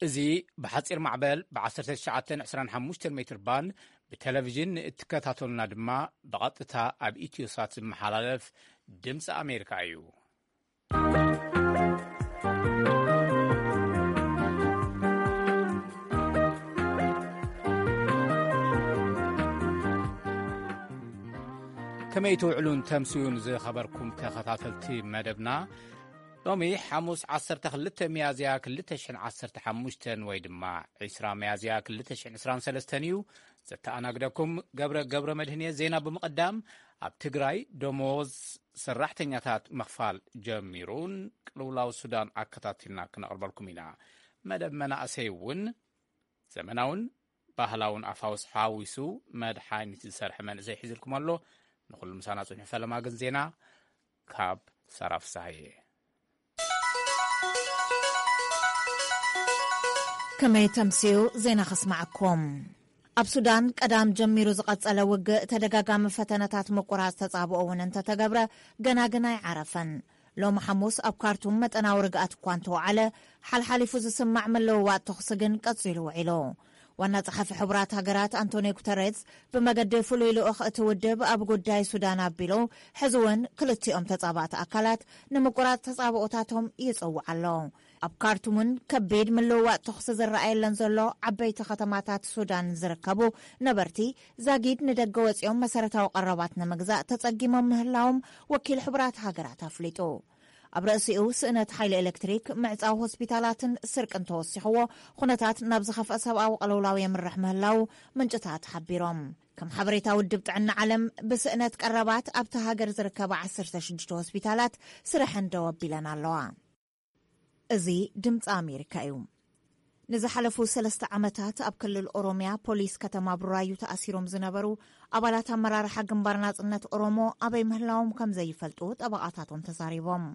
እዚ ብሓጺር ማዕበል ብ1925 ሜትር ባንድ ብቴሌቪዥን ንእትከታተሉና ድማ ብቐጥታ ኣብ ኢትዮሳት ዝመሓላለፍ ድምፂ ኣሜሪካ እዩ። ከመይ ትውዕሉን ተምስዩን ዝኸበርኩም ተኸታተልቲ መደብና? ሎሚ ሓሙስ 12 ሚያዝያ 2015 ወይ ድማ 20 ሚያዝያ 2023 እዩ። ዘተኣናግደኩም ገብረ ገብረ መድህን እየ። ዜና ብምቕዳም፣ ኣብ ትግራይ ደሞዝ ሰራሕተኛታት ምኽፋል ጀሚሩን ቅልውላው ሱዳን ኣከታቲልና ክነቕርበልኩም ኢና። መደብ መናእሰይ እውን ዘመናውን ባህላውን ኣፋውስ ሓዊሱ መድሓኒት ዝሰርሐ መንእሰይ ሒዝልኩም ኣሎ። ንኹሉ ምሳና ጽንሑ። ፈለማ ግን ዜና ካብ ሳራ ፍሳሃየ። ከመይ ተምስዩ ዜና ከስማዓኩም። ኣብ ሱዳን ቀዳም ጀሚሩ ዝቐጸለ ውግእ ተደጋጋሚ ፈተነታት ምቁራጽ ተጻብኦ እውን እንተተገብረ፣ ገና ግን ኣይዓረፈን። ሎሚ ሓሙስ ኣብ ካርቱም መጠናዊ ርግኣት እኳ እንተወዓለ፣ ሓልሓሊፉ ዝስማዕ ምልውዋጥ ተኹሲ ግን ቀጺሉ ውዒሉ። ዋና ጸሓፊ ሕቡራት ሃገራት ኣንቶኒዮ ጉተሬዝ ብመገዲ ፍሉይ ልኡኽ እቲ ውድብ ኣብ ጉዳይ ሱዳን ኣቢሉ፣ ሕዚ እውን ክልቲኦም ተጻባእቲ ኣካላት ንምቁራጽ ተጻብኦታቶም ይጽውዕ ኣሎ። ኣብ ካርቱምን ከቢድ ምልውዋጥ ተኹሲ ዝረኣየለን ዘሎ ዓበይቲ ከተማታት ሱዳን ዝርከቡ ነበርቲ፣ ዛጊድ ንደገ ወጺኦም መሰረታዊ ቀረባት ንምግዛእ ተጸጊሞም ምህላዎም ወኪል ሕቡራት ሃገራት ኣፍሊጡ። ኣብ ርእሲኡ ስእነት ሓይሊ ኤሌክትሪክ፣ ምዕጻው ሆስፒታላትን ስርቅን ተወሲኽዎ፣ ኩነታት ናብ ዝኸፍአ ሰብኣዊ ቅልውላው የምርሕ ምህላው ምንጭታት ሓቢሮም። ከም ሓበሬታ ውድብ ጥዕና ዓለም፣ ብስእነት ቀረባት ኣብቲ ሃገር ዝርከባ 16 ሆስፒታላት ስርሐን ደው ኣቢለን ኣለዋ። እዚ ድምፂ ኣሜሪካ እዩ። ንዝሓለፉ ሰለስተ ዓመታት ኣብ ክልል ኦሮሚያ ፖሊስ ከተማ ቡራዩ ተኣሲሮም ዝነበሩ ኣባላት ኣመራርሓ ግንባር ናጽነት ኦሮሞ ኣበይ ምህላዎም ከም ዘይፈልጡ ጠበቓታቶም ተዛሪቦም።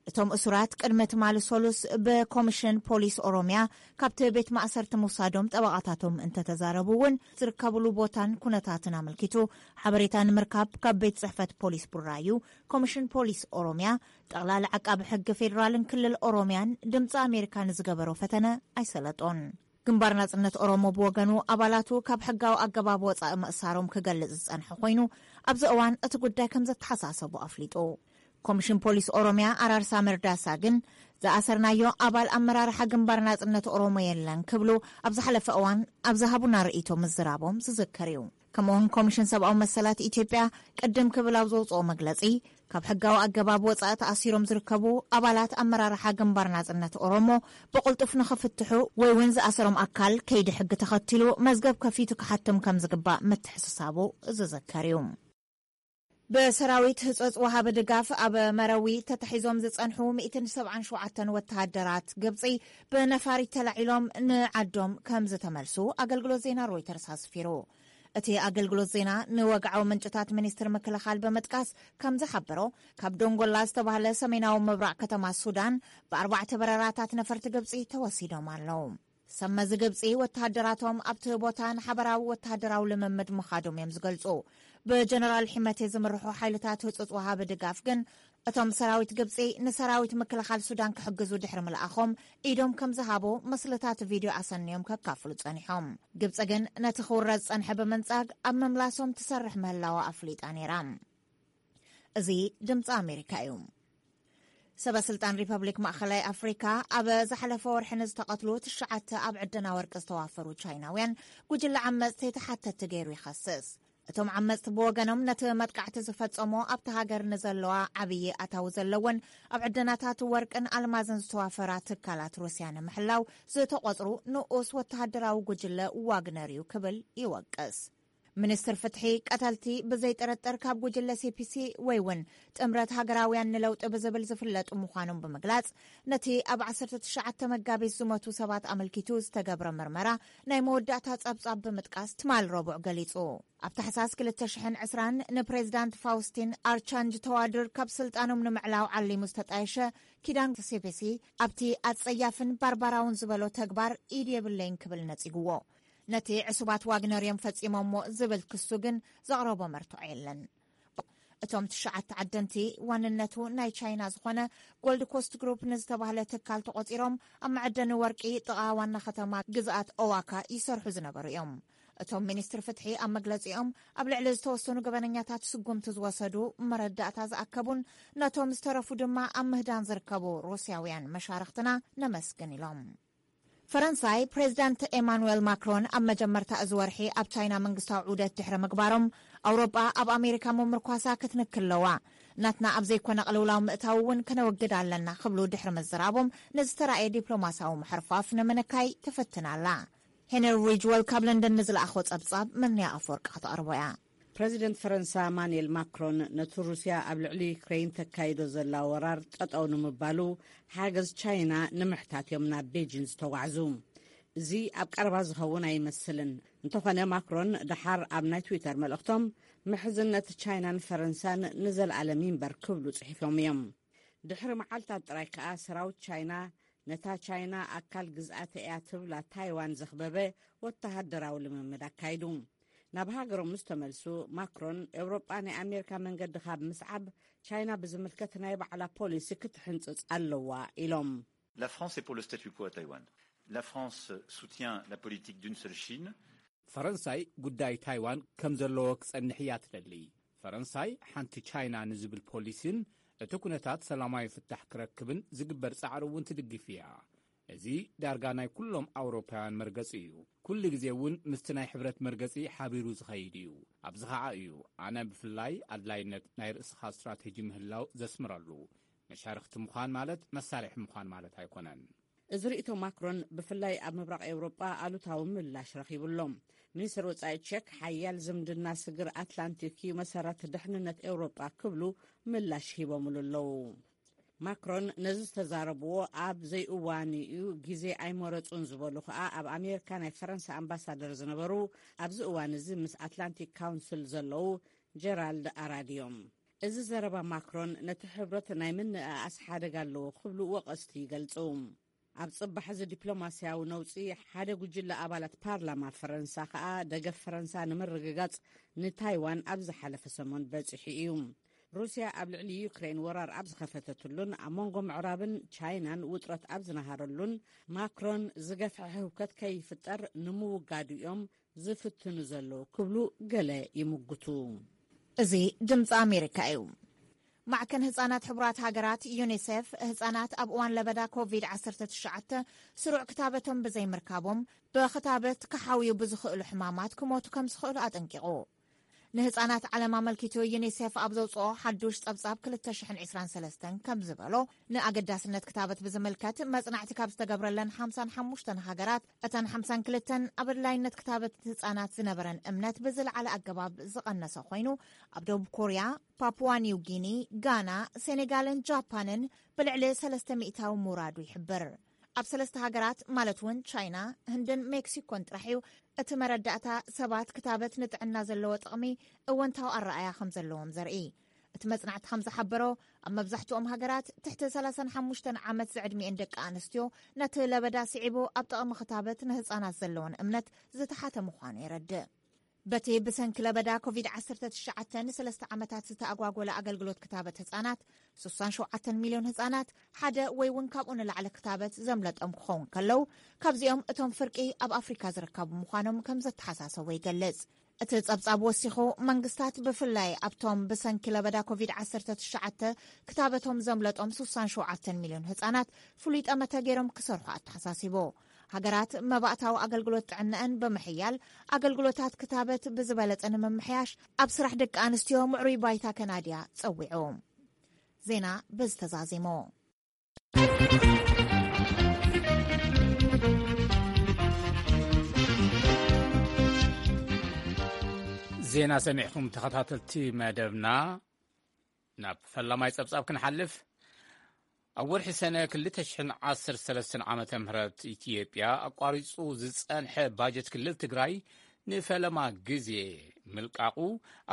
እቶም እሱራት ቅድሚ ትማሊ ሰሉስ ብኮሚሽን ፖሊስ ኦሮሚያ ካብቲ ቤት ማእሰርቲ ምውሳዶም ጠበቓታቶም እንተተዛረቡ እውን፣ ዝርከብሉ ቦታን ኩነታትን ኣመልኪቱ ሓበሬታ ንምርካብ ካብ ቤት ጽሕፈት ፖሊስ ቡራዩ፣ ኮሚሽን ፖሊስ ኦሮሚያ፣ ጠቕላሊ ዓቃቢ ሕጊ ፌዴራልን ክልል ኦሮሚያን ድምፂ ኣሜሪካ ንዝገበሮ ፈተነ ኣይሰለጦን። ግንባር ናጽነት ኦሮሞ ብወገኑ፣ ኣባላቱ ካብ ሕጋዊ ኣገባብ ወጻኢ ምእሳሮም ክገልጽ ዝጸንሐ ኮይኑ፣ ኣብዚ እዋን እቲ ጉዳይ ከም ዘተሓሳሰቡ ኣፍሊጡ። ኮሚሽን ፖሊስ ኦሮሚያ ኣራርሳ መርዳሳ ግን፣ ዝኣሰርናዮ ኣባል ኣመራርሓ ግንባር ናጽነት ኦሮሞ የለን ክብሉ ኣብ ዝሓለፈ እዋን ኣብ ዝሃቡና ርእይቶ ምዝራቦም ዝዝከር እዩ። ከምኡውን ኮሚሽን ሰብኣዊ መሰላት ኢትዮጵያ ቅድም ክብል ኣብ ዘውፅኦ መግለፂ፣ ካብ ሕጋዊ ኣገባብ ወፃኢ ተኣሲሮም ዝርከቡ ኣባላት ኣመራርሓ ግንባር ናጽነት ኦሮሞ ብቕልጡፍ ንኽፍትሑ ወይ እውን ዝኣሰሮም ኣካል ከይዲ ሕጊ ተኸቲሉ መዝገብ ከፊቱ ክሓትም ከም ዝግባእ ምትሕስሳቡ ዝዝከር እዩ። ብሰራዊት ህጹጽ ወሃቢ ድጋፍ ኣብ መረዊ ተታሒዞም ዝጸንሑ 177 ወተሃደራት ግብጺ ብነፋሪት ተላዒሎም ንዓዶም ከም ዝተመልሱ ኣገልግሎት ዜና ሮይተርስ ኣስፊሩ። እቲ ኣገልግሎት ዜና ንወግዓዊ ምንጭታት ሚኒስትሪ ምክልኻል ብምጥቃስ ከም ዝሓበሮ፣ ካብ ዶንጎላ ዝተባህለ ሰሜናዊ ምብራቕ ከተማ ሱዳን ብኣርባዕተ በረራታት ነፈርቲ ግብጺ ተወሲዶም ኣለዉ። ሰመዚ ግብጺ ወተሃደራቶም ኣብቲ ቦታ ንሓበራዊ ወተሃደራዊ ልምምድ ምኻዶም እዮም ዝገልጹ። ብጀነራል ሒመቴ ዝምርሑ ሓይልታት ህጹጽ ወሃቢ ድጋፍ ግን፣ እቶም ሰራዊት ግብጺ ንሰራዊት ምክልኻል ሱዳን ክሕግዙ ድሕሪ ምልኣኾም ኢዶም ከም ዝሃቡ ምስልታት ቪድዮ ኣሰንዮም ከካፍሉ ጸኒሖም። ግብጺ ግን ነቲ ክውረድ ዝጸንሐ ብምንጻግ ኣብ ምምላሶም ትሰርሕ ምህላዋ ኣፍሊጣ ነይራ። እዚ ድምጺ ኣሜሪካ እዩ። ሰበ ስልጣን ሪፐብሊክ ማእኸላይ ኣፍሪካ ኣብ ዝሓለፈ ወርሒ ንዝተቐትሉ ትሽዓተ ኣብ ዕደና ወርቂ ዝተዋፈሩ ቻይናውያን ጉጅለ ዓመፅቲ ተሓተትቲ ገይሩ ይኸስስ። እቶም ዓመፅቲ ብወገኖም፣ ነቲ መጥቃዕቲ ዝፈጸሞ ኣብቲ ሃገር ንዘለዋ ዓብዪ ኣታዊ ዘለወን ኣብ ዕደናታት ወርቅን ኣልማዝን ዝተዋፈራ ትካላት ሩስያ ንምሕላው ዝተቖፅሩ ንኡስ ወተሃደራዊ ጉጅለ ዋግነር እዩ ክብል ይወቅስ። ሚኒስትር ፍትሒ፣ ቀተልቲ ብዘይ ጥርጥር ካብ ጉጅለ ሲ ፒ ሲ ወይ እውን ጥምረት ሃገራውያን ንለውጢ ብዝብል ዝፍለጡ ምዃኖም ብምግላጽ፣ ነቲ ኣብ ዓሰርተ ትሽዓተ መጋቢት ዝሞቱ ሰባት ኣመልኪቱ ዝተገብረ ምርመራ ናይ መወዳእታ ጸብጻብ ብምጥቃስ ትማል ረቡዕ ገሊጹ። ኣብ ታሕሳስ ክልተ ሽሕን ዕስራን ንፕሬዚዳንት ፋውስቲን ኣርቻንጅ ተዋድር ካብ ስልጣኖም ንምዕላው ዓሊሙ ዝተጣየሸ ኪዳን ሲ ፒ ሲ፣ ኣብቲ ኣጸያፍን ባርባራውን ዝበሎ ተግባር ኢድ የብለይን ክብል ነጺግዎ። ነቲ ዕሱባት ዋግነር እዮም ፈጺሞሞ ዝብል ክሱ ግን ዘቕረቦ መርትዖ የለን። እቶም ትሽዓተ ዓደንቲ ዋንነቱ ናይ ቻይና ዝኾነ ጎልድ ኮስት ግሩፕ ንዝተባህለ ትካል ተቖጺሮም ኣብ መዐደኒ ወርቂ ጥቓ ዋና ከተማ ግዝኣት ኦዋካ ይሰርሑ ዝነበሩ እዮም። እቶም ሚኒስትር ፍትሒ ኣብ መግለጺኦም ኣብ ልዕሊ ዝተወሰኑ ገበነኛታት ስጉምቲ ዝወሰዱ መረዳእታ ዝኣከቡን ነቶም ዝተረፉ ድማ ኣብ ምህዳን ዝርከቡ ሩስያውያን መሻርኽትና ነመስግን ኢሎም። ፈረንሳይ ፕሬዚዳንት ኤማኑኤል ማክሮን ኣብ መጀመርታ እዚ ወርሒ ኣብ ቻይና መንግስታዊ ዑደት ድሕሪ ምግባሮም ኣውሮጳ ኣብ ኣሜሪካ ምምርኳሳ ክትንክል ኣለዋ። ናትና ኣብ ዘይኮነ ቅልውላው ምእታው እውን ከነወግድ ኣለና ክብሉ ድሕሪ ምዝራቦም ንዝተራእየ ዲፕሎማሲያዊ ምሕርፋፍ ንምንካይ ትፍትን ኣላ። ሄነሪ ሪጅወል ካብ ለንደን ንዝለኣኾ ጸብጻብ መንያ ኣፈወርቂ ከተቕርቦ እያ። ፕረዚደንት ፈረንሳ ማኑኤል ማክሮን ነቲ ሩስያ ኣብ ልዕሊ ዩክሬን ተካይዶ ዘላ ወራር ጠጠው ንምባሉ ሓገዝ ቻይና ንምሕታት እዮም ናብ ቤጂን ዝተጓዕዙ። እዚ ኣብ ቀረባ ዝኸውን ኣይመስልን። እንተኾነ ማክሮን ደሓር ኣብ ናይ ትዊተር መልእኽቶም ምሕዝነት ቻይናን ፈረንሳን ንዘለኣለም ይንበር ክብሉ ጽሒፎም እዮም። ድሕሪ መዓልታት ጥራይ ከኣ ሰራዊት ቻይና ነታ ቻይና ኣካል ግዝኣተ እያ ትብላ ታይዋን ዘኽበበ ወተሃደራዊ ልምምድ ኣካይዱ። ናብ ሃገሮም ምስ ተመልሱ ማክሮን ኤውሮጳ ናይ ኣሜሪካ መንገዲ ካብ ምስዓብ ቻይና ብዝምልከት ናይ ባዕላ ፖሊሲ ክትሕንጽጽ ኣለዋ ኢሎም። La France est pour le statu quo à Taïwan. La France soutient la politique d'une seule Chine. ፈረንሳይ ጉዳይ ታይዋን ከም ዘለዎ ክጸንሕ እያ ትደሊ። ፈረንሳይ ሓንቲ ቻይና ንዝብል ፖሊሲን እቲ ኩነታት ሰላማዊ ፍታሕ ክረክብን ዝግበር ጻዕሪ እውን ትድግፍ እያ። እዚ ዳርጋ ናይ ኩሎም ኣውሮፓውያን መርገጺ እዩ። ኩሉ ግዜ እውን ምስቲ ናይ ሕብረት መርገጺ ሓቢሩ ዝኸይድ እዩ። ኣብዚ ኸዓ እዩ ኣነ ብፍላይ ኣድላይነት ናይ ርእስኻ ስትራቴጂ ምህላው ዘስምረሉ። መሻርኽቲ ምዃን ማለት መሳርሒ ምዃን ማለት ኣይኮነን። እዚ ርእይቶ ማክሮን ብፍላይ ኣብ ምብራቕ ኤውሮጳ ኣሉታዊ ምላሽ ረኺቡ ኣሎ። ሚኒስትር ወጻኢ ቸክ ሓያል ዝምድና ስግር ኣትላንቲክ እዩ መሰረት ድሕንነት ኤውሮጳ ክብሉ ምላሽ ሂቦምሉ ኣለዉ። ማክሮን ነዚ ዝተዛረብዎ ኣብ ዘይእዋኑ እዩ፣ ግዜ ኣይመረጹን ዝበሉ ከኣ ኣብ ኣሜሪካ ናይ ፈረንሳ ኣምባሳደር ዝነበሩ ኣብዚ እዋን እዚ ምስ ኣትላንቲክ ካውንስል ዘለዉ ጀራልድ ኣራድ እዮም። እዚ ዘረባ ማክሮን ነቲ ሕብረት ናይ ምንእኣስ ሓደጋ ኣለዎ ክብሉ ወቐስቲ ይገልጹ። ኣብ ጽባሕ እዚ ዲፕሎማስያዊ ነውጺ ሓደ ጉጅለ ኣባላት ፓርላማ ፈረንሳ ከኣ ደገፍ ፈረንሳ ንምርግጋጽ ንታይዋን ኣብ ዝሓለፈ ሰሙን በጺሑ እዩ። ሩስያ ኣብ ልዕሊ ዩክሬን ወራር ኣብ ዝኸፈተትሉን ኣብ መንጎ ምዕራብን ቻይናን ውጥረት ኣብ ዝነሃረሉን ማክሮን ዝገፍሐ ህውከት ከይፍጠር ንምውጋዱ እዮም ዝፍትኑ ዘለዉ ክብሉ ገለ ይምጉቱ። እዚ ድምፂ ኣሜሪካ እዩ። ማዕከን ህፃናት ሕቡራት ሃገራት ዩኒሴፍ ህፃናት ኣብ እዋን ለበዳ ኮቪድ ዓሰርተ ትሽዓተ ስሩዕ ክታበቶም ብዘይምርካቦም ብክታበት ክሓውዩ ብዝኽእሉ ሕማማት ክሞቱ ከም ዝኽእሉ ኣጠንቂቑ። ንህፃናት ዓለም ኣመልኪቱ ዩኒሴፍ ኣብ ዘውፅኦ ሓዱሽ ፀብፃብ ክልተ ሽሕን ዕስራን ሰለስተን ከም ዝበሎ ንኣገዳስነት ክታበት ብዝምልከት መፅናዕቲ ካብ ዝተገብረለን ሓምሳን ሓሙሽተን ሃገራት እተን ሓምሳን ክልተን ኣብ ኣድላይነት ክታበት ህፃናት ዝነበረን እምነት ብዝለዓለ ኣገባብ ዝቐነሰ ኮይኑ ኣብ ደቡብ ኮርያ፣ ፓፑዋ ኒው ጊኒ፣ ጋና፣ ሴኔጋልን ጃፓንን ብልዕሊ ሰለስተ ሚእታዊ ምውራዱ ይሕብር። ኣብ ሰለስተ ሃገራት ማለት እውን ቻይና፣ ህንድን ሜክሲኮን ጥራሕ እዩ እቲ መረዳእታ ሰባት ክታበት ንጥዕና ዘለዎ ጥቕሚ እወንታዊ ኣረኣያ ከም ዘለዎም ዘርኢ። እቲ መጽናዕቲ ከም ዝሓበሮ ኣብ መብዛሕትኦም ሃገራት ትሕቲ ሰላሳን ሓሙሽተን ዓመት ዝዕድሚኤን ደቂ ኣንስትዮ ነቲ ለበዳ ስዒቡ ኣብ ጥቕሚ ክታበት ንህጻናት ዘለወን እምነት ዝተሓተ ምዃኑ የረድእ። በቲ ብሰንኪ ለበዳ ኮቪድ ዓሰርተ ትሽዓተ ንሰለስተ ዓመታት ዝተኣጓጎለ ኣገልግሎት ክታበት ህጻናት፣ ስሳን ሸውዓተን ሚልዮን ህጻናት ሓደ ወይ እውን ካብኡ ንላዕሊ ክታበት ዘምለጦም ክኸውን ከለው፣ ካብዚኦም እቶም ፍርቂ ኣብ ኣፍሪካ ዝርከቡ ምዃኖም ከም ዘተሓሳሰቦ ይገልጽ። እቲ ጸብጻብ ወሲኹ መንግስታት ብፍላይ ኣብቶም ብሰንኪ ለበዳ ኮቪድ ዓሰርተ ትሽዓተ ክታበቶም ዘምለጦም ስሳን ሸውዓተን ሚልዮን ህጻናት ፍሉይ ጠመተ ገይሮም ክሰርሑ ኣተሓሳሲቡ። ሃገራት መባእታዊ ኣገልግሎት ጥዕናኣን ብምሕያል ኣገልግሎታት ክታበት ብዝበለጸ ንምምሕያሽ ኣብ ስራሕ ደቂ ኣንስትዮ ምዕሩይ ባይታ ከናድያ ጸዊዑ። ዜና በዚ ተዛዚሙ። ዜና ሰሚዕኹም ተኸታተልቲ መደብና። ናብ ፈላማይ ጸብጻብ ክንሓልፍ። ኣብ ወርሒ ሰነ ክልተ ሽሕን ዓሰርተ ሰለስተን ዓመተ ምህረት ኢትዮጵያ ኣቋሪጹ ዝጸንሐ ባጀት ክልል ትግራይ ንፈለማ ግዜ ምልቃቑ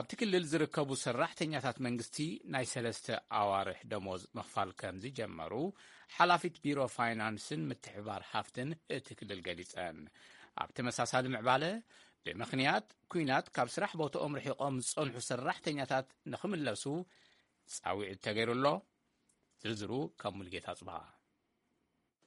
ኣብቲ ክልል ዝርከቡ ሰራሕተኛታት መንግስቲ ናይ ሰለስተ ኣዋርሕ ደሞዝ ምኽፋል ከም ዝጀመሩ ሓላፊት ቢሮ ፋይናንስን ምትሕባር ሃፍትን እቲ ክልል ገሊጸን። ኣብ ተመሳሳሊ ምዕባለ ብምኽንያት ኲናት ካብ ስራሕ ቦታኦም ርሒቖም ዝጸንሑ ሰራሕተኛታት ንኽምለሱ ጻውዒት ተገይሩ ኣሎ። ዝርዝሩ ካብ ሙልጌታ ጽባሃ።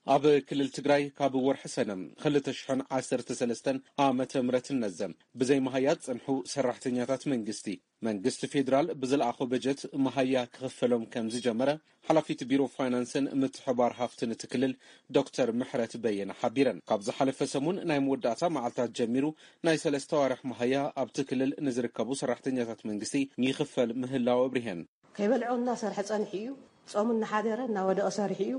ኣብ ክልል ትግራይ ካብ ወርሒ ሰነ ክልተ ሽሕን ዓሰርተ ሰለስተን ዓመተ ምህረት ነዘም ብዘይ መሃያ ዝጸንሑ ሰራሕተኛታት መንግስቲ፣ መንግስቲ ፌዴራል ብዝለኣኾ በጀት መሃያ ክኽፈሎም ከም ዝጀመረ ሓላፊት ቢሮ ፋይናንስን ምትሕባር ሃፍትን እቲ ክልል ዶክተር ምሕረት በየነ ሓቢረን። ካብ ዝሓለፈ ሰሙን ናይ መወዳእታ መዓልታት ጀሚሩ ናይ ሰለስተ ዋርሕ መሃያ ኣብቲ ክልል ንዝርከቡ ሰራሕተኛታት መንግስቲ ይኽፈል ምህላው ኣብሪሀን። ከይበልዖ እናሰርሐ ጸኒሑ እዩ። ጾሙ እናሓደረ እናወደቐ ሰሪሑ እዩ።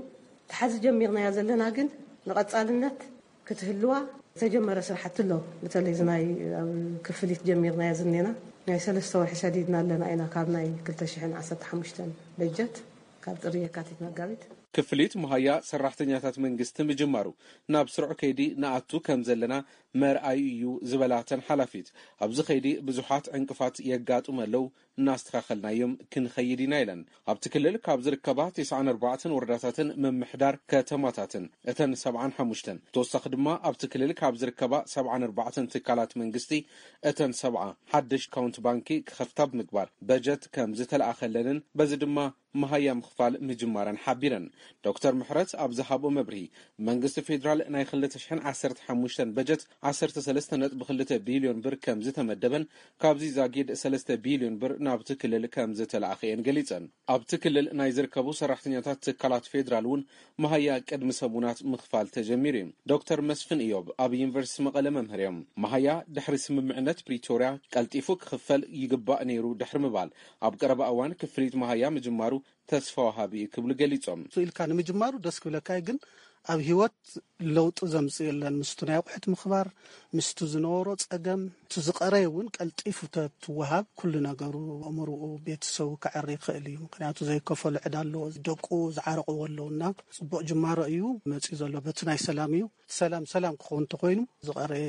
ተሓዚ ጀሚርናያ ዘለና ግን ንቐጻልነት ክትህልዋ ዝተጀመረ ስራሕቲ ኣሎ። በተለይ እዚ ናይ ኣብ ክፍሊት ጀሚርናያ ዝኔና ናይ ሰለስተ ወርሒ ሰዲድና ኣለና ኢና። ካብ ናይ ክልተ ሽሕን ዓሰርተ ሓሙሽተን በጀት ካብ ጥሪ የካቲት መጋቢት ክፍሊት መሃያ ሰራሕተኛታት መንግስቲ ምጅማሩ ናብ ስሩዕ ከይዲ ንኣቱ ከም ዘለና መርኣዩ እዩ ዝበላ እተን ሓላፊት፣ ኣብዚ ከይዲ ብዙሓት ዕንቅፋት የጋጥሙ ኣለዉ፣ እናስተኻኸልናዮም ክንኸይድ ኢና ኢለን። ኣብቲ ክልል ካብ ዝርከባ ተስዓን ኣርባዕተን ወረዳታትን ምምሕዳር ከተማታትን እተን ሰብዓን ሓሙሽተን፣ ተወሳኺ ድማ ኣብቲ ክልል ካብ ዝርከባ ሰብዓን ኣርባዕተን ትካላት መንግስቲ እተን ሰብዓ ሓድሽ ኣካውንት ባንኪ ክኸፍታ ብምግባር በጀት ከም ዝተለኣኸለንን በዚ ድማ መሃያ ምኽፋል ምጅማረን ሓቢረን። ዶክተር ምሕረት ኣብ ዝሃብኦ መብርሂ፣ መንግስቲ ፌዴራል ናይ ክልተ ሽሕን ዓሰርተ ሓሙሽተን በጀት ዓሰርተ ሰለስተ ነጥቢ ክልተ ቢልዮን ብር ከም ዝተመደበን ካብዚ ዛጊድ ሰለስተ ቢልዮን ብር ናብቲ ክልል ከም ዝተለኣኸ እየን ገሊጸን። ኣብቲ ክልል ናይ ዝርከቡ ሰራሕተኛታት ትካላት ፌዴራል እውን መሃያ ቅድሚ ሰሙናት ምኽፋል ተጀሚሩ እዩ። ዶክተር መስፍን እዮብ ኣብ ዩኒቨርሲቲ መቐለ መምህር እዮም። መሃያ ድሕሪ ስምምዕነት ፕሪቶርያ ቀልጢፉ ክኽፈል ይግባእ ነይሩ ድሕሪ ምባል፣ ኣብ ቀረባ እዋን ክፍሊት መሃያ ምጅማሩ ተስፋ ወሃቢ እዩ ክብሉ ገሊጾም። ኢልካ ንምጅማሩ ደስ ክብለካ እዩ፣ ግን ኣብ ህይወት ለውጢ ዘምጽእ የለን። ምስቱ ናይ ኣቑሑት ምኽባር፣ ምስቱ ዝነበሮ ጸገም፣ እቲ ዝቐረየ እውን ቀልጢፉ ተትወሃብ ኩሉ ነገሩ፣ ኣእምሮኡ፣ ቤተሰቡ ከዕሪ ይኽእል እዩ። ምኽንያቱ ዘይከፈሎ ዕዳ ኣለዎ፣ ደቁ ዝዓረቕዎ ኣለውና ጽቡቕ ጅማሮ እዩ መጺኡ ዘሎ። በቲ ናይ ሰላም እዩ። ሰላም ሰላም ክኸውን እንተኾይኑ ዝቐረየ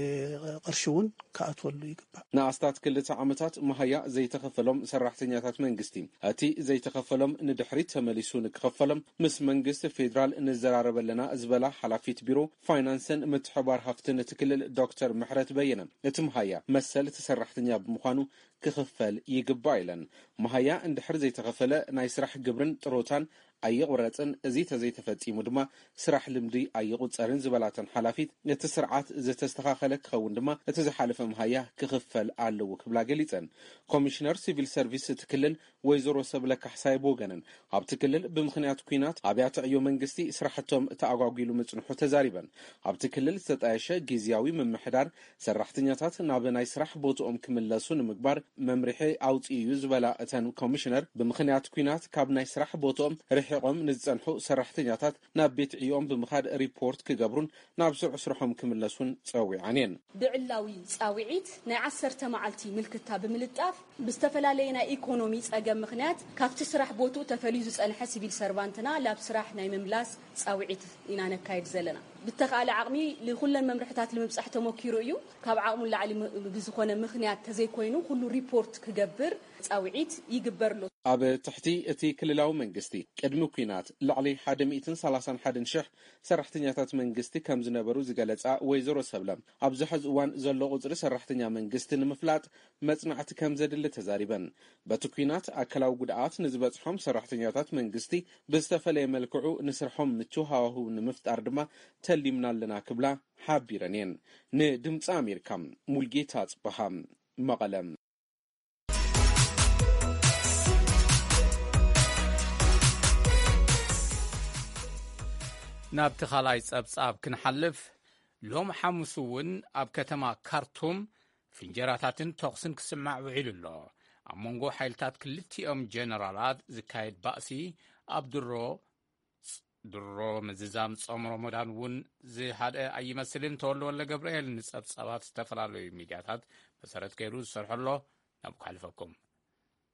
ቅርሺ እውን ክኣትወሉ ይግባእ። ንኣስታት ክልተ ዓመታት መሃያ ዘይተኸፈሎም ሰራሕተኛታት መንግስቲ፣ እቲ ዘይተኸፈሎም ንድሕሪት ተመሊሱ ንክኸፈሎም ምስ መንግስቲ ፌዴራል ንዘራረብ ኣለና ዝበላ ሓላፊት ቢሮ ፋይናንስን ምትሕባር ሃፍትን እቲ ክልል ዶክተር ምሕረት በየነ፣ እቲ መሃያ መሰል እቲ ሰራሕተኛ ብምዃኑ ክኽፈል ይግባእ ኢለን። መሃያ እንድሕር ዘይተኸፈለ ናይ ስራሕ ግብርን ጥሮታን ኣይቑረጽን። እዚ ተዘይተፈጺሙ ድማ ስራሕ ልምዲ ኣይቑጸርን ዝበላተን ሓላፊት፣ እቲ ስርዓት ዝተስተኻኸለ ክኸውን ድማ እቲ ዝሓለፈ መሃያ ክኽፈል ኣለዎ ክብላ ገሊጸን። ኮሚሽነር ሲቪል ሰርቪስ እቲ ክልል ወይዘሮ ሰብለ ካሕሳይ ብወገነን፣ ኣብቲ ክልል ብምኽንያት ኲናት ኣብያተ ዕዮ መንግስቲ ስራሕቶም ተኣጓጒሉ ምጽንሑ ተዛሪበን። ኣብቲ ክልል ዝተጣየሸ ግዝያዊ ምምሕዳር ሰራሕተኛታት ናብ ናይ ስራሕ ቦትኦም ክምለሱ ንምግባር መምርሒ ኣውጺኡ እዩ ዝበላ እተን ኮሚሽነር፣ ብምኽንያት ኲናት ካብ ናይ ስራሕ ቦትኦም ርሒቖም ንዝጸንሑ ሰራሕተኛታት ናብ ቤት ዕዮኦም ብምኻድ ሪፖርት ክገብሩን ናብ ስሩዕ ስርሖም ክምለሱን ጸዊዐን እየን። ብዕላዊ ጻውዒት ናይ ዓሰርተ መዓልቲ ምልክታ ብምልጣፍ ብዝተፈላለየ ናይ ኢኮኖሚ ጸገም ምኽንያት ካብቲ ስራሕ ቦትኡ ተፈልዩ ዝጸንሐ ሲቪል ሰርቫንትና ላብ ስራሕ ናይ ምምላስ ጻውዒት ኢና ነካይድ ዘለና። ብተኻእለ ዓቕሚ ንኹለን መምርሕታት ንምብጻሕ ተሞኪሩ እዩ። ካብ ዓቕሙ ላዕሊ ም-፣ ብዝኾነ ምኽንያት ተዘይኮይኑ ኩሉ ሪፖርት ክገብር ጻውዒት ይግበር ኣሎ። ኣብ ትሕቲ እቲ ክልላዊ መንግስቲ ቅድሚ ኲናት ልዕሊ ሓደ ሚእትን ሰላሳን ሓደን ሽሕ ሰራሕተኛታት መንግስቲ ከም ዝነበሩ ዝገለጻ ወይዘሮ ሰብለ፣ ኣብዚ ሕዚ እዋን ዘሎ ቁጽሪ ሰራሕተኛ መንግስቲ ንምፍላጥ መጽናዕቲ ከም ዘድሊ ተዛሪበን። በቲ ኲናት ኣካላዊ ጉድኣት ንዝበጽሖም ሰራሕተኛታት መንግስቲ ብዝተፈለየ መልክዑ ንስርሖም ምቹው ሃዋህው ንምፍጣር ድማ ተሊምና ኣለና ክብላ ሓቢረን እየን። ንድምፂ ኣሜሪካ ሙልጌታ ጽበሃ፣ መቐለ። ናብቲ ካልኣይ ጸብጻብ ክንሓልፍ፣ ሎም ሓሙስ እውን ኣብ ከተማ ካርቱም ፍንጀራታትን ተኹስን ክስማዕ ውዒሉ ኣሎ። ኣብ መንጎ ሓይልታት ክልቲኦም ጀነራላት ዝካየድ ባእሲ ኣብ ድሮ፣ ድሮ ምዝዛም ጾም ረመዳን እውን ዝሃድአ ኣይመስልን። ተወልደ ወልደ ገብርኤል ንጸብጻባት ዝተፈላለዩ ሚድያታት መሰረት ገይሩ ዝሰርሖ ኣሎ። ናብ ክሓልፈኩም።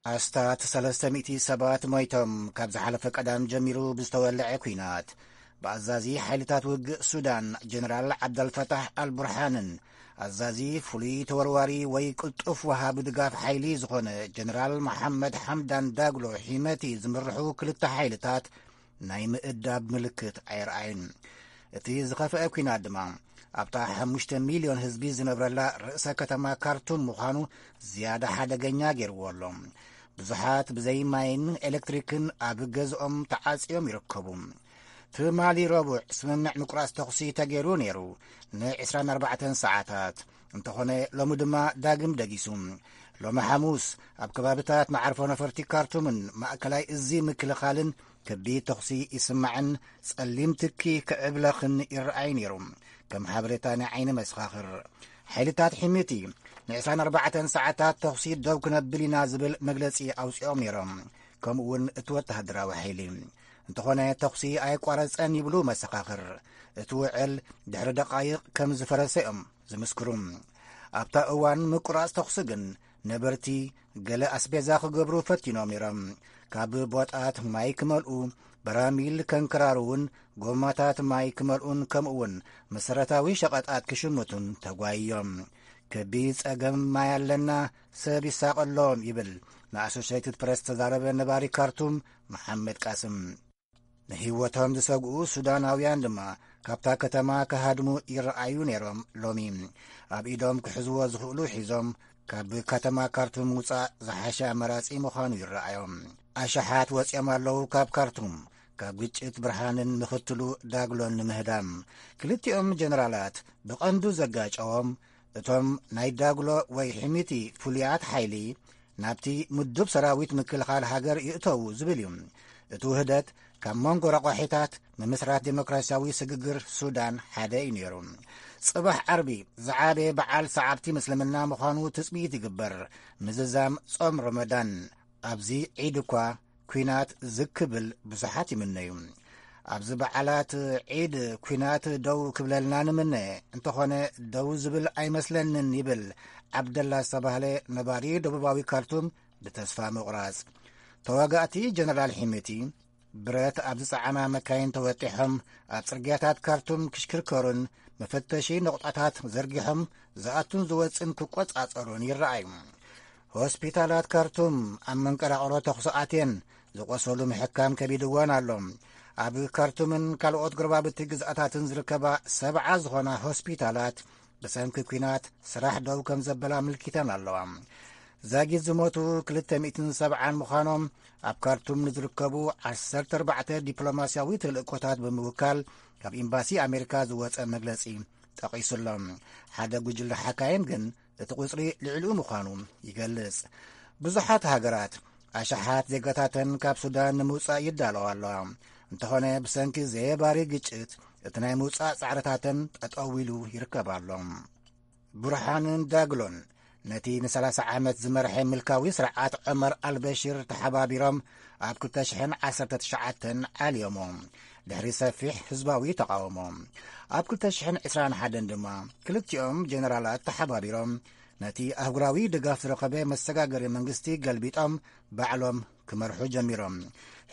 ኣስታት ሰለስተ ሚእቲ ሰባት ሞይቶም። ካብ ዝሓለፈ ቀዳም ጀሚሩ ብዝተወልዐ ኲናት፣ ብኣዛዚ ሓይልታት ውግእ ሱዳን ጀነራል ዓብደልፈታሕ ኣልቡርሃንን ኣዛዚ ፍሉይ ተወርዋሪ ወይ ቅልጡፍ ወሃቢ ድጋፍ ሓይሊ ዝኾነ ጀነራል መሓመድ ሓምዳን ዳግሎ ሒመቲ ዝምርሑ ክልተ ሓይልታት ናይ ምእዳብ ምልክት ኣየርኣዩን። እቲ ዝኸፍአ ኲናት ድማ ኣብታ ሓሙሽተ ሚልዮን ህዝቢ ዝነብረላ ርእሰ ከተማ ካርቱም ምዃኑ ዝያዳ ሓደገኛ ገይርዎ ኣሎ። ብዙሓት ብዘይ ማይን ኤሌክትሪክን ኣብ ገዝኦም ተዓጽዮም ይርከቡ። ትማሊ ረቡዕ ስምምዕ ምቁራጽ ተኹሲ ተገይሩ ነይሩ፣ ን ዕስራን ኣርባዕተን ሰዓታት። እንተኾነ ሎሚ ድማ ዳግም ደጊሱ። ሎሚ ሓሙስ ኣብ ከባብታት መዓርፎ ነፈርቲ ካርቱምን ማእከላይ እዚ ምክልኻልን ከቢድ ተኹሲ ይስማዕን ጸሊም ትኪ ክዕብለኽን ይረኣይ ነይሩ። ከም ሓበሬታ ናይ ዓይኒ መሰኻኽር፣ ሓይልታት ሒሚቲ ን ዕስራን ኣርባዕተን ሰዓታት ተኹሲ ደው ክነብል ኢና ዝብል መግለጺ ኣውጺኦም ነይሮም። ከምኡ እውን እቲ ወተሃደራዊ ሓይሊ። እንተኾነ ተኹሲ ኣይቋረጸን ይብሉ መሰኻኽር። እቲ ውዕል ድሕሪ ደቓይቕ ከም ዝፈረሰ እዮም ዝምስክሩ። ኣብታ እዋን ምቁራጽ ተኹሲ ግን ነበርቲ ገለ ኣስቤዛ ክገብሩ ፈቲኖም ነይሮም። ካብ ቦጣት ማይ ክመልኡ፣ በራሚል ከንከራርውን፣ ጎማታት ማይ ክመልኡን ከምኡ እውን መሰረታዊ ሸቐጣት ክሽምቱን ተጓይዮም። ከቢድ ጸገም ማይ ኣለና፣ ሰብ ይሳቐሎም ይብል ንኣሶሼትድ ፕረስ ተዛረበ ነባሪ ካርቱም መሓመድ ቃስም። ንህይወቶም ዝሰግኡ ሱዳናውያን ድማ ካብታ ከተማ ክሃድሙ ይረኣዩ ነይሮም። ሎሚ ኣብ ኢዶም ክሕዝዎ ዝኽእሉ ሒዞም ካብ ከተማ ካርቱም ምውጻእ ዝሓሸ ኣማራጺ ምዃኑ ይረኣዮም። ኣሽሓት ወጺኦም ኣለዉ ካብ ካርቱም፣ ካብ ግጭት ብርሃንን ምኽትሉ ዳግሎን ንምህዳም። ክልቲኦም ጀነራላት ብቐንዱ ዘጋጨዎም እቶም ናይ ዳግሎ ወይ ሕሚቲ ፍሉያት ሓይሊ ናብቲ ምዱብ ሰራዊት ምክልኻል ሃገር ይእተዉ ዝብል እዩ። እቲ ውህደት ካብ መንጎ ረቋሒታት ምምስራት ዴሞክራሲያዊ ስግግር ሱዳን ሓደ እዩ ነይሩ። ጽባሕ ዓርቢ ዝዓበየ በዓል ሰዓብቲ ምስልምና ምዃኑ ትጽቢት ይግበር። ምዝዛም ጾም ረመዳን። ኣብዚ ዒድ እኳ ኲናት ዝክብል ብዙሓት ይምነዩ። ኣብዚ በዓላት ዒድ ኲናት ደው ክብለልና ንምነ፣ እንተኾነ ደው ዝብል ኣይመስለንን ይብል ዓብደላ ዝተባህለ ነባሪ ደቡባዊ ካርቱም ብተስፋ ምቑራጽ። ተዋጋእቲ ጀነራል ሒሚቲ ብረት ኣብ ዝጸዓና መካይን ተወጢሖም ኣብ ጽርግያታት ካርቱም ክሽክርከሩን መፈተሺ ነቑጣታት ዘርጊሖም ዝኣቱን ዝወጽን ክቆጻጸሩን ይረኣዩ። ሆስፒታላት ካርቱም ኣብ መንቀራቕሮ ተኹሲ ኣትየን ዝቖሰሉ ምሕካም ከቢድወን ኣሎ። ኣብ ካርቱምን ካልኦት ጎረባብቲ ግዝኣታትን ዝርከባ ሰብዓ ዝኾና ሆስፒታላት ብሰንኪ ኲናት ስራሕ ደው ከም ዘበላ ኣመልኪተን ኣለዋ። ዛጊት ዝሞቱ ክልተ ሚእትን ሰብዓን ምዃኖም ኣብ ካርቱም ንዝርከቡ ዓሰርተ ኣርባዕተ ዲፕሎማስያዊ ተልእኮታት ብምውካል ካብ ኤምባሲ ኣሜሪካ ዝወጸ መግለጺ ጠቒሱሎም። ሓደ ጉጅለ ሓካይም ግን እቲ ቁጽሪ ልዕሊኡ ምዃኑ ይገልጽ። ብዙሓት ሃገራት ኣሽሓት ዜጋታተን ካብ ሱዳን ንምውጻእ ይዳለዋ ኣለዋ። እንተኾነ ብሰንኪ ዘየባሪ ግጭት እቲ ናይ ምውጻእ ጻዕርታተን ጠጠው ኢሉ ይርከብ ኣሎ። ቡርሃንን ዳግሎን ነቲ ንሰላሳ ዓመት ዝመርሐ ምልካዊ ስርዓት ዑመር ኣልበሽር ተሓባቢሮም ኣብ ክልተ ሽሕን ዓሰርተ ትሽዓተን ዓልዮሞ። ድሕሪ ሰፊሕ ህዝባዊ ተቓውሞ ኣብ ክልተ ሽሕን ዕስራን ሓደን ድማ ክልቲኦም ጀነራላት ተሓባቢሮም ነቲ ኣህጉራዊ ድጋፍ ዝረኸበ መሰጋገሪ መንግስቲ ገልቢጦም ባዕሎም ክመርሑ ጀሚሮም።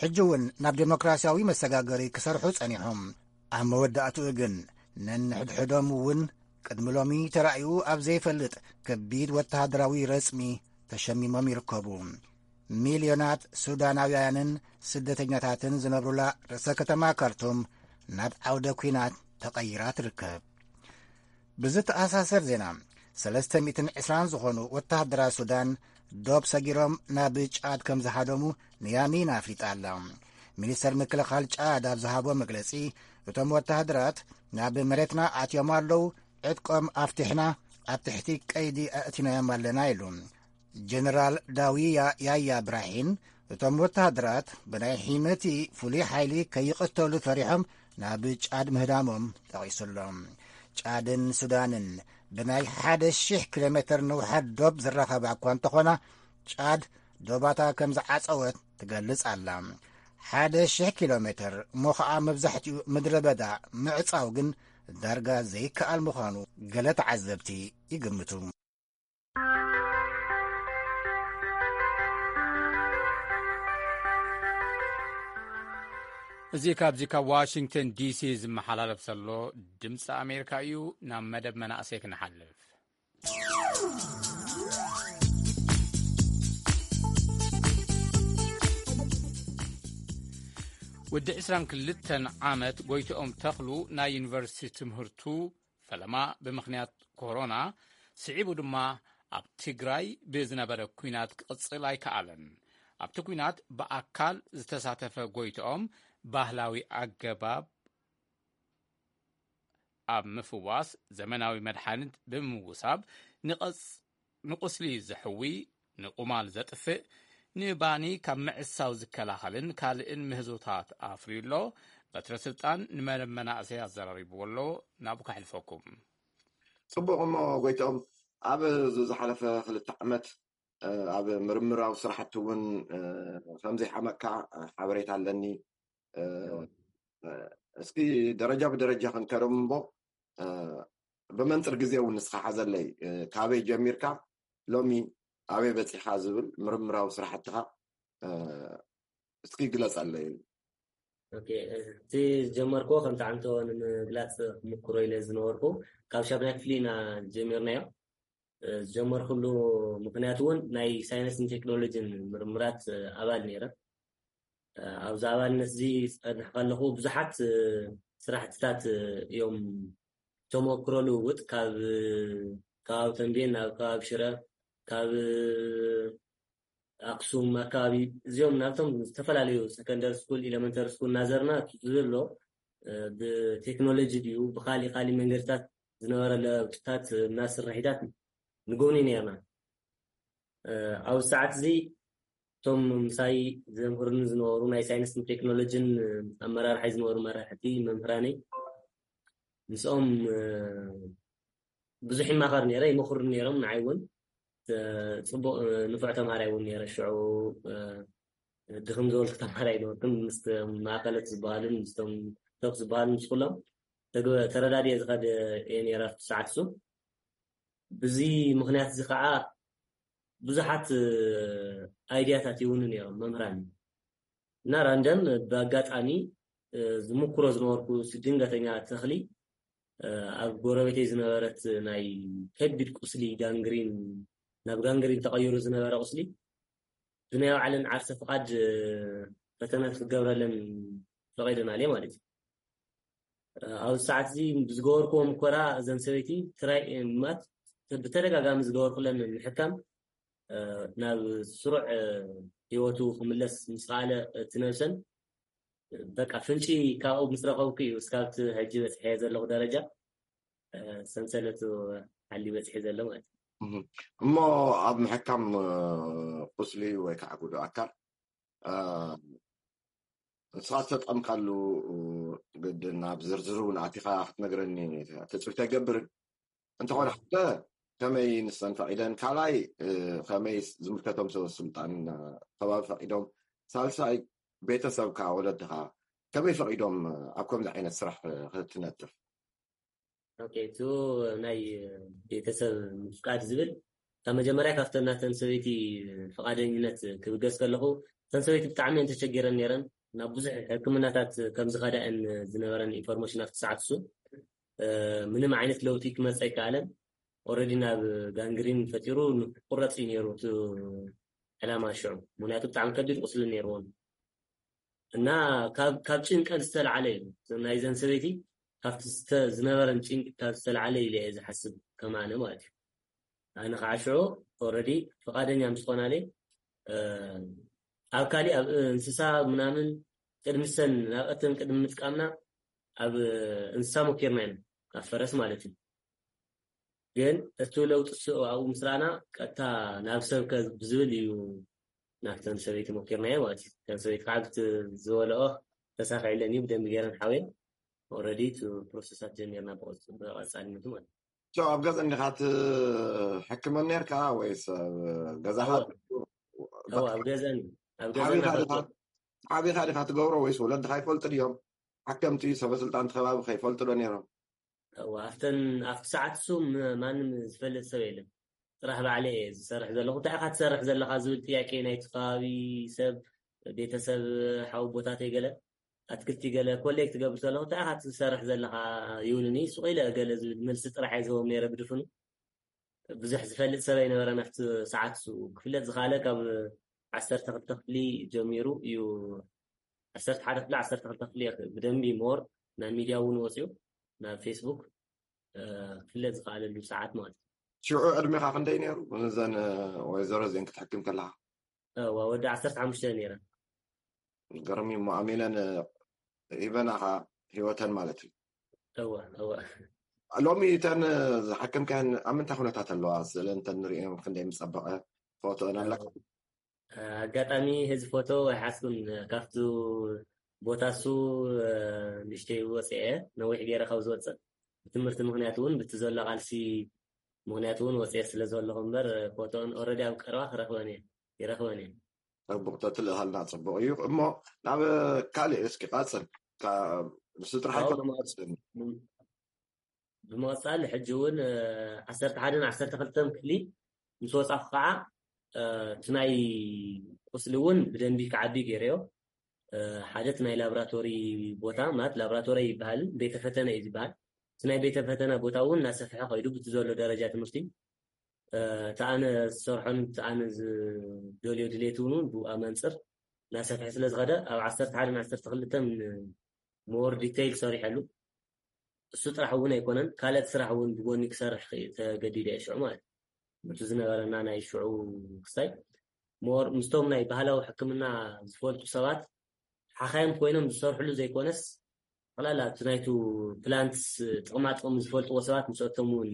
ሕጂ እውን ናብ ዴሞክራሲያዊ መሰጋገሪ ክሰርሑ ጸኒሖም። ኣብ መወዳእትኡ ግን ነንሕድሕዶም እውን ቅድሚ ሎሚ ተራእዩ ኣብ ዘይፈልጥ ከቢድ ወተሃደራዊ ረጽሚ ተሸሚሞም ይርከቡ። ሚልዮናት ሱዳናውያንን ስደተኛታትን ዝነብሩላ ርእሰ ከተማ ካርቱም ናብ ዓውደ ኲናት ተቐይራ ትርከብ። ብዝተኣሳሰር ዜና፣ ሰለስተ ሚእትን ዕስራን ዝኾኑ ወተሃደራት ሱዳን ዶብ ሰጊሮም ናብ ጫድ ከም ዝሃደሙ ንያሚን ኣፍሊጣ ኣላ። ሚኒስተር ምክልኻል ጫድ ኣብ ዝሃቦ መግለጺ፣ እቶም ወተሃደራት ናብ መሬትና ኣትዮም ኣለዉ፣ ዕጥቆም ኣፍቲሕና ኣብ ትሕቲ ቀይዲ ኣእቲናዮም ኣለና ኢሉ። ጀነራል ዳዊያ ያያ ብራሂን፣ እቶም ወተሃደራት ብናይ ሒመቲ ፍሉይ ሓይሊ ከይቕተሉ ፈሪሖም ናብ ጫድ ምህዳሞም ጠቒሱሎም። ጫድን ሱዳንን ብናይ ሓደ ሺሕ ኪሎ ሜትር ንውሓት ዶብ ዝራኸባ እኳ እንተኾና፣ ጫድ ዶባታ ከም ዝዓጸወት ትገልጽ ኣላ። ሓደ ሺሕ ኪሎ ሜትር እሞ ኸኣ መብዛሕትኡ ምድረ በዳ ምዕጻው ግን ዳርጋ ዘይከኣል ምዃኑ ገለ ተዓዘብቲ ይግምቱ። እዚ ካብዚ ካብ ዋሽንግተን ዲሲ ዝመሓላለፍ ዘሎ ድምፂ ኣሜሪካ እዩ። ናብ መደብ መናእሰይ ክንሓልፍ። ወዲ ዕስራን ክልተን ዓመት ጎይትኦም ተኽሉ ናይ ዩኒቨርሲቲ ትምህርቱ ፈለማ ብምኽንያት ኮሮና ስዒቡ ድማ ኣብ ትግራይ ብዝነበረ ኲናት ክቕጽል ኣይከኣለን። ኣብቲ ኲናት ብኣካል ዝተሳተፈ ጎይትኦም ባህላዊ ኣገባብ ኣብ ምፍዋስ ዘመናዊ መድሓኒት ብምውሳብ ንቐጽ ንቁስሊ ዘሕዊ፣ ንቁማል ዘጥፍእ፣ ንባኒ ካብ ምዕሳው ዝከላኸልን ካልእን ምህዞታት ኣፍርዩ ኣሎ። በትረ ስልጣን ንመደብ መናእሰይ ኣዘራሪብዎ ኣሎ። ናብኡ ከሕልፈኩም። ጽቡቕ። እሞ ጎይትኦም፣ ኣብ ዝሓለፈ ክልተ ዓመት ኣብ ምርምራዊ ስራሕቲ እውን ከም ዘይሓመቕካ ሓበሬታ ኣለኒ። እስኪ ደረጃ ብደረጃ ክንከዶም እሞ፣ ብመንፅር ግዜ እውን ንስኻ ሓዘለይ። ካበይ ጀሚርካ ሎሚ ኣበይ በፂኻ ዝብል ምርምራዊ ስራሕትኻ እስኪ ግለፀለይ። እቲ ዝጀመርኩዎ ከም ተዓንቶ ንምግላፅ ክምክሮ ኢለ ዝነበርኩ፣ ካብ ሻብናይ ክፍሊ ኢና ጀሚርናዮ። ዝጀመርኩሉ ምክንያት እውን ናይ ሳይንስን ቴክኖሎጂን ምርምራት ኣባል ነይረ። ኣብዚ ኣባልነት እዚ ዝፀንሕ ከለኹ ብዙሓት ስራሕትታት እዮም ተመክሮ ልውውጥ ካብ ከባቢ ተንቤን ናብ ከባቢ ሽረ፣ ካብ ኣክሱም ኣካባቢ፣ እዚኦም ናብቶም ዝተፈላለዩ ሰከንደሪ ስኩል፣ ኢለመንተሪ ስኩል እናዘርና ዝብል ኣሎ። ብቴክኖሎጂ ድዩ ብካሊእ ካሊእ መንገድታት ዝነበረ ለውጥታት እና ስራሒታት ንጎብኒ ነርና። ኣብዚ ሰዓት እዚ እቶም ምሳይ ዘምህርኒ ዝነበሩ ናይ ሳይንስን ቴክኖሎጂን ኣመራርሓይ ዝነበሩ መራሕቲ መምህራነይ፣ ምስኦም ብዙሕ ይማኸር ነይረ፣ ይመኽሩ ነይሮም። ንዓይ እውን ፅቡቕ ንፉዕ ተምሃራይ እውን ነይረ። ሽዑ ድኽም ዝበልኩ ተምሃራይ ነበርኩን። ምስ ማእከለት ዝበሃሉን ምስቶም ቶፕ ዝበሃሉ ምስ ኩሎም ተረዳድየ ዝኸደ እየ ነይረ ኣብቲ ሰዓት እሱ። ብዚ ምክንያት እዚ ከዓ ብዙሓት ኣይድያታት ይውኑ ነይሮም መምህራን እና ራንደም ብኣጋጣሚ ዝምክሮ ዝነበርኩ ድንገተኛ ተኽሊ ኣብ ጎረቤተይ ዝነበረት ናይ ከቢድ ቁስሊ ጋንግሪን ናብ ጋንግሪን ተቐይሩ ዝነበረ ቁስሊ ብናይ ባዕለን ዓርሰ ፍቓድ ፈተነ ክትገብረለን ፈቒደናልየ ማለት እዩ። ኣብዚ ሰዓት እዚ ብዝገበርክዎ ምኮራ እዘን ሰበይቲ ትራይ ማት ብተደጋጋሚ ዝገበርኩለን ምሕካም ናብ ስሩዕ ህይወቱ ክምለስ ምስ ከኣለ እቲ ነብሰን በቃ ፍንጪ ካብኡ ምስ ረኸብኩ እዩ እስካብቲ ሕጂ በፅሐ ዘለኹ ደረጃ ሰንሰለቱ ሓሊ በፅሐ ዘሎ ማለት እዩ። እሞ ኣብ ምሕካም ቁስሊ ወይ ከዓ ጉዱ ኣካል ንስኻ ዝተጠምካሉ ግድን ናብ ዝርዝር እውን ኣቲኻ ክትነግረኒ ትፅቢት ኣይገብርን። እንተኾነ ሓደ ከመይ ንሰን ፈቒደን፣ ካልኣይ ከመይ ዝምልከቶም ሰበ ስልጣን ከባቢ ፈቒዶም፣ ሳልሳይ ቤተሰብካ ወለድኻ ከመይ ፈቒዶም ኣብ ከምዚ ዓይነት ስራሕ ክትነጥፍ? ኦኬ፣ እቲ ናይ ቤተሰብ ምፍቃድ ዝብል ካብ መጀመርያ ካብተን ናተን ሰበይቲ ፍቓደኝነት ክብገስ ከለኹ እተን ሰበይቲ ብጣዕሚ እየን ተቸጊረን ነይረን። ናብ ብዙሕ ሕክምናታት ከም ዝኸዳ እየን ዝነበረን ኢንፎርሜሽን ኣብቲ ሰዓት እሱ። ምንም ዓይነት ለውጢ ክመፅእ ኣይከኣለን። ኦረዲ ናብ ጋንግሪን ፈጢሩ ንቁረፅ እዩ ነይሩ እቲ ዕላማ ሽዑ፣ ምክንያቱ ብጣዕሚ ከቢድ ቁስሊ ነይርዎን እና ካብ ጭንቀት ዝተለዓለ እዩ ናይዘን ሰበይቲ ካብቲ ዝነበረን ጭንቂ ካብ ዝተለዓለ ኢለ እየ ዝሓስብ ከማነ ማለት እዩ። ኣነ ከዓ ሽዑ ኦረዲ ፍቓደኛ ምስ ኾናለ ኣብ ካሊእ ኣብ እንስሳ ምናምን ቅድሚ ሰን ናብ እተን ቅድሚ ምጥቃምና ኣብ እንስሳ ሞኪርና ኢና ኣብ ፈረስ ማለት እዩ። ግን እቲ ለውጢ ስኡ ኣብኡ ምስ ረኣና ቀጥታ ናብ ሰብ ከ ብዝብል እዩ ናብተን ሰበይቲ ሞኪርናዮ ማለት እዩ። እተን ሰበይቲ ከዓ ብቲ ዝበለኦ ተሳኺዕለን እዩ ብደንቢ ገይረን ሓውየን ኦረዲ እቲ ፕሮሰሳት ጀሚርና ብቐፃልነቱ ማለት እዩ። ኣብ ገዛ እንዲኻ ትሕክመን ነርካ ወይስ ገዛኻ? ኣብ ገዛን ኣብ ገዛን ዓቢኻ ዲኻ ትገብሮ ወይስ ወለድኻ ይፈልጡ ድዮም? ሓከምቲ ሰበስልጣን ከባቢ ከይፈልጡ ዶ ነይሮም? ኣብተን ኣብቲ ሰዓት እሱ ማንም ዝፈልጥ ሰብ የለን። ጥራሕ ባዕለ እየ ዝሰርሕ ዘለኹ። እንታይ ኢኻ ትሰርሕ ዘለኻ ዝብል ጥያቄ ናይቲ ከባቢ ሰብ፣ ቤተሰብ፣ ሓው ቦታተይ ገለ ኣትክልቲ ገለ ኮሌክት ገብር ዘለኹ። እንታይ ኢኻ ትሰርሕ ዘለኻ ይብሉኒ። ሱቕ ኢለ ገለ ዝብል መልሲ ጥራሕ እየ ዝህቦም ነይረ ብድፍኑ። ብዙሕ ዝፈልጥ ሰብ ኣይነበረን ኣብቲ ሰዓት እሱ። ክፍለጥ ዝኸኣለ ካብ ዓሰርተ ክልተ ክፍሊ ጀሚሩ እዩ። ዓሰርተ ሓደ ክፍሊ፣ ዓሰርተ ክልተ ክፍሊ እየ ብደንቢ ሞር ናብ ሚድያ እውን ወፅዩ ናብ ፌስቡክ። ክፍለጥ ዝኽኣለሉ ሰዓት ማለት እዩ። ሽዑ ዕድሜኻ ክንደይ ነይሩ? እዘን ወይዘሮ እዚአን ክትሕክም ከለኻ? ወዲ ዓሰርተ ሓሙሽተ ነይረ። ገርሚ እሞ ኣሚነን ሂበናኻ ህይወተን ማለት እዩ። እወ እወ። ሎሚ እተን ዝሓከምካየን ኣብ ምንታይ ኩነታት ኣለዋ? ስእለን እንተንሪኦም ክንደይ ምጸበቐ ፎቶን ኣለካ? ኣጋጣሚ ህዚ ፎቶ ኣይሓዝኩን። ካብቱ ቦታ እሱ ንእሽተይ ወፅአ፣ ነዊሕ ገይረ ካብ ዝወፅእ ብትምህርቲ ምክንያት እውን ብቲ ዘሎ ቃልሲ ምክንያት እውን ወፅአ ስለ ዘለኹ እምበር ፎቶን ኦረዲ ኣብ ቀረባ ክረኽበን እየ ይረኽበን እየ። ጽቡቕ ተትልእሃልና ጽቡቕ እዩ። እሞ ናብ ካልእ እስኪ ቃጽል። ስድራሓይ ኣዎ። ኮነ መቐጽል ብምቕጻል ሕጂ እውን ዓሰርተ ሓደን ዓሰርተ ክልተን ክፍሊ ምስ ወጻኹ ከዓ እቲ ናይ ቁስሊ እውን ብደንቢ ክዓቢ ገይረዮ። ሓደ እቲ ናይ ላብራቶሪ ቦታ ማለት ላብራቶሪ ይበሃል፣ ቤተ ፈተነ እዩ ዝበሃል። እቲ ናይ ቤተ ፈተነ ቦታ እውን እናሰፍሐ ከይዱ ብቲ ዘሎ ደረጃ ትምህርቲ እቲ ኣነ ዝሰርሖን እቲ ኣነ ዝደልዮ ድሌት እውን ብኣ መንፅር እናሰፍሐ ስለ ዝኸደ ኣብ ዓሰርተ ሓደን ዓሰርተ ክልተን more detail ሰሪሐሉ። እሱ ጥራሕ እውን ኣይኮነን፣ ካልኦት ስራሕ እውን ብጎኒ ክሰርሕ ተገዲደ እየ ሽዑ ማለት እዩ። እቲ ዝነበረና ናይ ሽዑ ክስታይ more ምስቶም ናይ ባህላዊ ሕክምና ዝፈልጡ ሰባት ሓኻይም ኮይኖም ዝሰርሕሉ ዘይኮነስ ጠቕላላ እቲ ናይቱ ፕላንትስ ጥቕማ ጥቕሚ ዝፈልጥዎ ሰባት ምስኦቶም እውን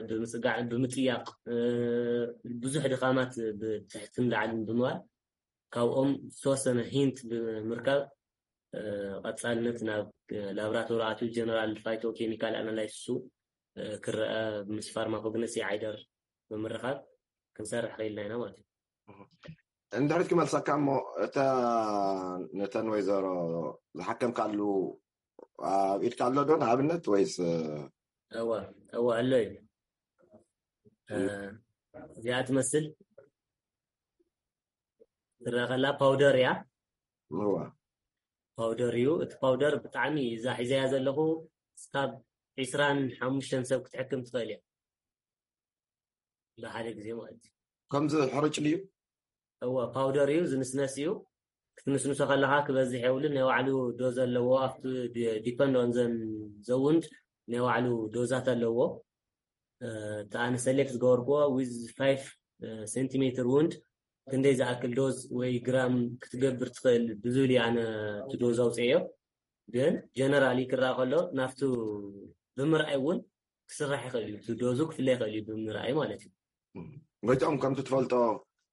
ብምፅጋዕ ብምጥያቕ ብዙሕ ድኻማት ብትሕትን ላዕልን ብምባል ካብኦም ዝተወሰነ ሂንት ብምርካብ ቀፃልነት ናብ ላብራቶሪ ኣትዩ ጀነራል ፋይቶ ኬሚካል ኣናላይሲሱ ክረአ ምስ ፋርማኮግነሲ ዓይደር ብምርኻብ ክንሰርሕ ክኢልና ኢና ማለት እዩ። እንድሕሪት ክመልሰካ እሞ እታ ነተን ወይዘሮ ዝሓከምካሉ ኣብ ኢድካ ኣሎ ዶ ንኣብነት ወይስ እወ እወ ኣሎ እዩ። እዚኣ ትመስል ትረአ ከላ ፓውደር እያ። እዋ ፓውደር እዩ። እቲ ፓውደር ብጣዕሚ እዛ ሒዘያ ዘለኹ እስካብ ዒስራን ሓሙሽተን ሰብ ክትሕክም ትኽእል እያ ብሓደ ግዜ ማለት እዩ። ከምዚ ሕርጭ ድዩ? እወ ፓውደር እዩ፣ ዝንስነስ እዩ። ክትንስንሶ ከለካ ክበዝሕ የብሉን፣ ናይ ባዕሉ ዶዝ ኣለዎ። ኣብቲ ዲፐንድ ኦን ዘን ዘውንድ ናይ ባዕሉ ዶዛት ኣለዎ። እቲ ኣነ ሰሌክት ዝገበርክዎ ዊዝ ፋይቭ ሴንቲሜትር ውንድ ክንደይ ዝኣክል ዶዝ ወይ ግራም ክትገብር ትኽእል ብዝብል እዩ ኣነ እቲ ዶዝ ኣውፅኤዮ። ግን ጀነራሊ ክረኣ ከሎ ናብቲ ብምርኣይ እውን ክስራሕ ይኽእል እዩ። እቲ ዶዙ ክፍለ ይኽእል እዩ ብምርኣይ ማለት እዩ። ጎይትኦም ከምቲ ትፈልጦ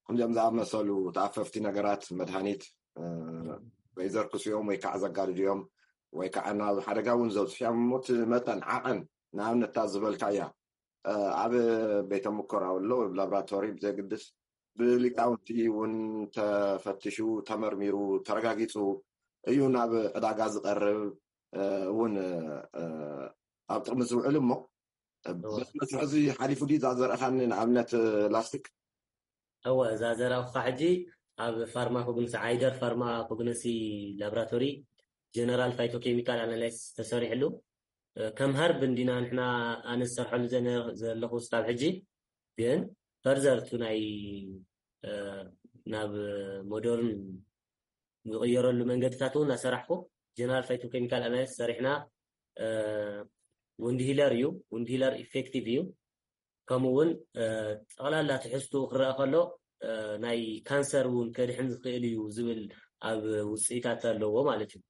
ከምዚኦም ዝኣመሰሉ ተኣፈፍቲ ነገራት መድሃኒት ወይ ዘርክሱ እዮም ወይ ከዓ ዘጋድዱ እዮም ወይ ከዓ ናብ ሓደጋ እውን ዘብፅሑ እዮም። እሞ እቲ መጠን ዓቐን ንኣብነት እታ ዝበልካ እያ ኣብ ቤተ ሙከራ ኣሎ ብ ላብራቶሪ ብዘግድስ ብሊቃውንቲ እውን ተፈትሹ ተመርሚሩ ተረጋጊፁ እዩ ናብ ዕዳጋ ዝቀርብ እውን ኣብ ጥቅሚ ዝውዕል እሞ በዚ መስርሕ እዚ ሓሊፉ ድዩ እዛ ዘርእኻኒ ንኣብነት ላስቲክ? እወ እዛ ዘራኹካ ሕጂ ኣብ ፋርማኮግንሲ ዓይደር ፋርማኮግነሲ ላብራቶሪ ጀነራል ፋይቶኬሚካል ኣናላይስ ተሰሪሕሉ ከም ሀርብ እንዲና ንሕና ኣነ ዝሰርሐሉ ዘለኹ ስታብ ሕጂ ግን ፈርዘር ቱ ናይ ናብ ሞደርን ዝቕየረሉ መንገድታት እውን እናሰራሕኩ ጀነራል ፋይቶኬሚካል ኣናሊስ ሰሪሕና። ውንድ ሂለር እዩ፣ ውንድ ሂለር ኢፌክቲቭ እዩ። ከምኡ እውን ጠቕላላ ትሕዝትኡ ክረአ ከሎ ናይ ካንሰር እውን ከድሕን ዝኽእል እዩ ዝብል ኣብ ውፅኢታት ኣለዎ ማለት እዩ።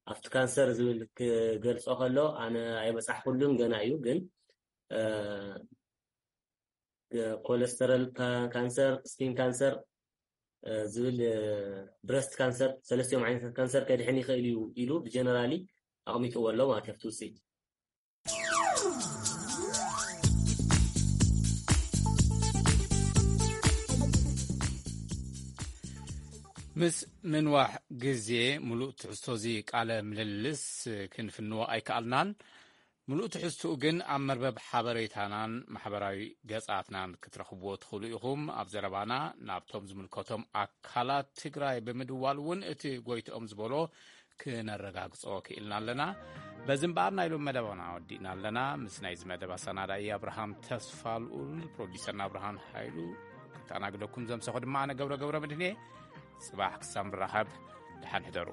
ኣብቲ ካንሰር ዝብል ክገልፆ ከሎ ኣነ ኣይበፃሕኩሉን ገና እዩ፣ ግን ኮለስተረል ካንሰር፣ ስኪን ካንሰር ዝብል ብረስት ካንሰር ሰለስቲኦም ዓይነታት ካንሰር ከድሕን ይኽእል እዩ ኢሉ ብጀነራሊ ኣቕሚጥዎ ኣሎ ማለት ኣብቲ ውፅኢት። ምስ ምንዋሕ ግዜ ሙሉእ ትሕዝቶ እዚ ቃለ ምልልስ ክንፍንዎ ኣይከኣልናን። ምሉእ ትሕዝትኡ ግን ኣብ መርበብ ሓበሬታናን ማሕበራዊ ገጻትናን ክትረኽብዎ ትኽእሉ ኢኹም። ኣብ ዘረባና ናብቶም ዝምልከቶም ኣካላት ትግራይ ብምድዋል እውን እቲ ጎይትኦም ዝበሎ ክነረጋግጾ ክኢልና ኣለና። በዚ እምበኣር ናይ ሎም መደባና ወዲእና ኣለና። ምስ ናይዚ መደብ ኣሰናዳኢ ኣብርሃም ተስፋ ልኡል፣ ፕሮዲሰርና ኣብርሃም ሃይሉ፣ ክተኣናግደኩም ዘምሰኹ ድማ ኣነ ገብረ ገብረ መድህን እየ። ጽባሕ ክሳብ ንራኸብ ደሓን ሕደሩ።